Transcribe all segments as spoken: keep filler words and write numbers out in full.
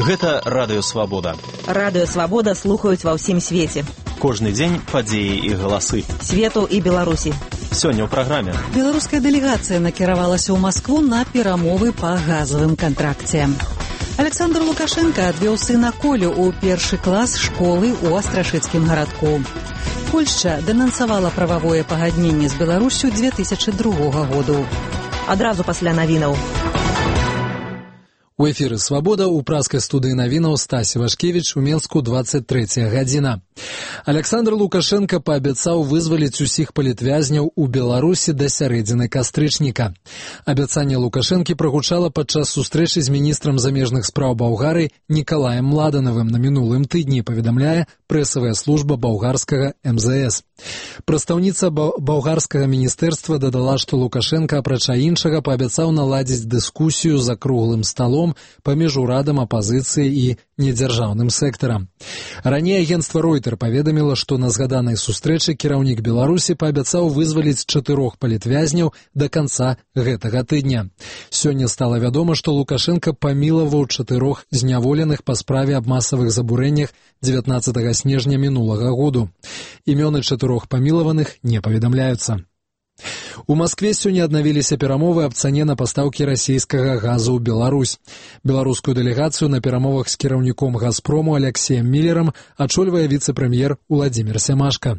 Гэта Радыё Свабода. Радыё Свабода слухаюць ва ўсім свеце. Кожны дзень падзеі і галасы. Свету і Беларусі. Сёння ў праграме. Беларуская дэлегацыя накіравалася ў Маскву на перамовы па газавым кантракце. Александр Лукашенко адвёў сына Колю ў першы клас школы ў Астрашыцкім гарадку. Польшча дэнансавала прававое пагадненне з Беларусю две тысячы другога году. Адразу пасля навінаў. У эфіры «Свабода» у праскай студыі навінаў Стасі Вашкевіч у Менску двадцать трэцяя гадзіна. Александр Лукашенко паабяцаў вызваліць усіх палітвязняў у Беларусі да сярэдзіны кастрычніка. Абяцанне Лукашэнкі прагучала падчас сустрэчы з міністрам замежных спраў Балгарыі Нікалаем Младанавым на мінулым тыдні, паведамляе прэсавая служба балгарскага эм зэ эс. Прадстаўніца балгарскага міністэрства дадала, што Лукашенко, апрача іншага, паабяцаў наладзіць дыскусію за круглым сталом паміж урадам, апазіцыяй і недзяржаўным сектарам. Раней агенцтва Ройтер паведаміла, што на згаданай сустрэчы кіраўнік Беларусі паабяцаў вызваліць чатырох палітвязняў да канца гэтага тыдня. Сёння стала вядома, што Лукашенко памілаваў чатырох зняволеных па справе аб масавых забурэннях дзевятнаццатага снежня мінулага году. Імёны чатырох памілаваных не паведамляюцца. У Маскве сёння аднавіліся перамовы аб цане на пастаўкі расійскага газу ў Беларусь. Беларускую дэлегацыю на перамовах з кіраўніком «Газпрому» Алексеем Міллерам ачольвае віцэ-прэм'ер Уладзімір Сямашка.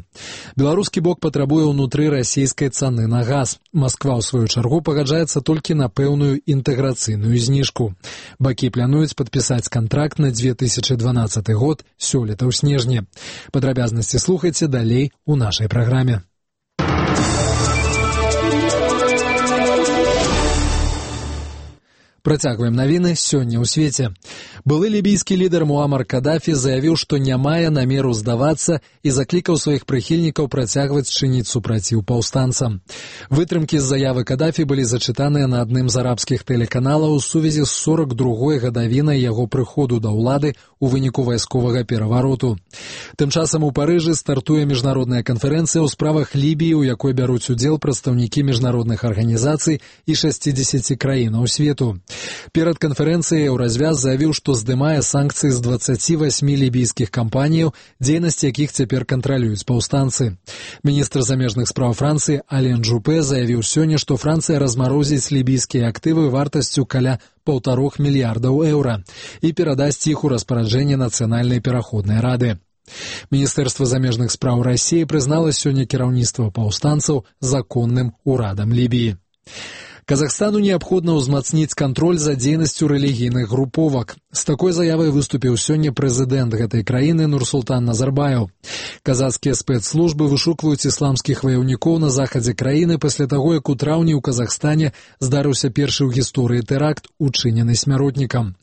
Беларускі бок патрабуе ўнутры расійскай цаны на газ. Масква, ў сваю чаргу, пагаджаецца толькі на пэўную інтэграцыйную зніжку. Бакі плануюць падпісаць кантракт на две тысячы дванаццаты год сёлета ў снежні. Падрабязнасці слухайце далей у нашай праграме. Працягваем навіны сёння ў свеце. Былы лібійскі лідар Муамар Кадафі заявіў, што не мае намеру здавацца і заклікаў сваіх прыхільнікаў працягваць чыніць супраціў паўстанцам. Вытрымкі з заявы Кадафі былі зачытаныя на адным з арабскіх тэлеканалаў у сувязі з сорак другой гадавінай яго прыходу да ўлады ў выніку вайсковага перавароту. Тым часам у Парыжы стартуе міжнародная канферэнцыя ў справах Лібіі, у якой бяруць удзел прадстаўнікі міжнародных арганізацый і шасцідзесяці краінаў свету. Перад канферэнцыяй Еўразвяз заявіў, што здымае санкцыі з дваццаці васьмі лібійскіх кампаніяў, дзейнасць якіх цяпер кантралююць паўстанцы. Міністр замежных спраў Францыі Ален Жупе заявіў сёння, што Францыя размарозіць лібійскія актывы вартасцю каля паўтарох мільярдаў еўра і перадасць іх у распараджэнне Нацыянальнай пераходнай рады. Міністэрства замежных спраў Расіі прызнала сёння кіраўніцтва паўстанцаў законным урадам Лібіі. Казахстану неабходна ўзмацніць кантроль за дзейнасцю рэлігійных груповак. З такой заявай выступіў сёння прэзідэнт гэтай краіны Нурсултан Назарбаев. Казахскія спецслужбы вышукваюць ісламскіх ваяўнікоў на захадзе краіны пасля таго, як у траўні ў Казахстане здарыўся першы ў гісторыі тэракт, учынены смяротнікам.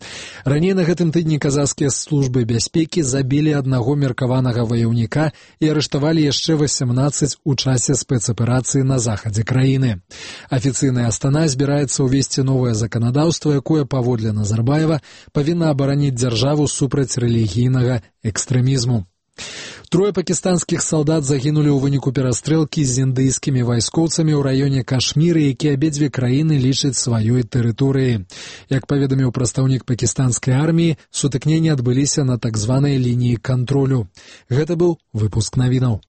Раней на гэтым тыдні казахскія службы бяспекі забілі аднаго меркаванага ваяўніка і арыштавалі яшчэ васямнаццаць у часе спецаперацыі на захадзе краіны. Афіцыйная Астана збіраецца ўвесці новае заканадаўства, якое, паводле Назарбаева, павінна абараніць дзяржаву супраць рэлігійнага экстрэмізму. Трое пакістанскіх салдат загінулі ў выніку перастрэлкі з індыйскімі вайскоўцамі ў раёне Кашміры, які абедзве краіны лічаць сваёй тэрыторыяй. Як паведаміў прадстаўнік пакістанскай арміі, сутыкненні адбыліся на так званай лініі кантролю. Гэта быў выпуск навінаў.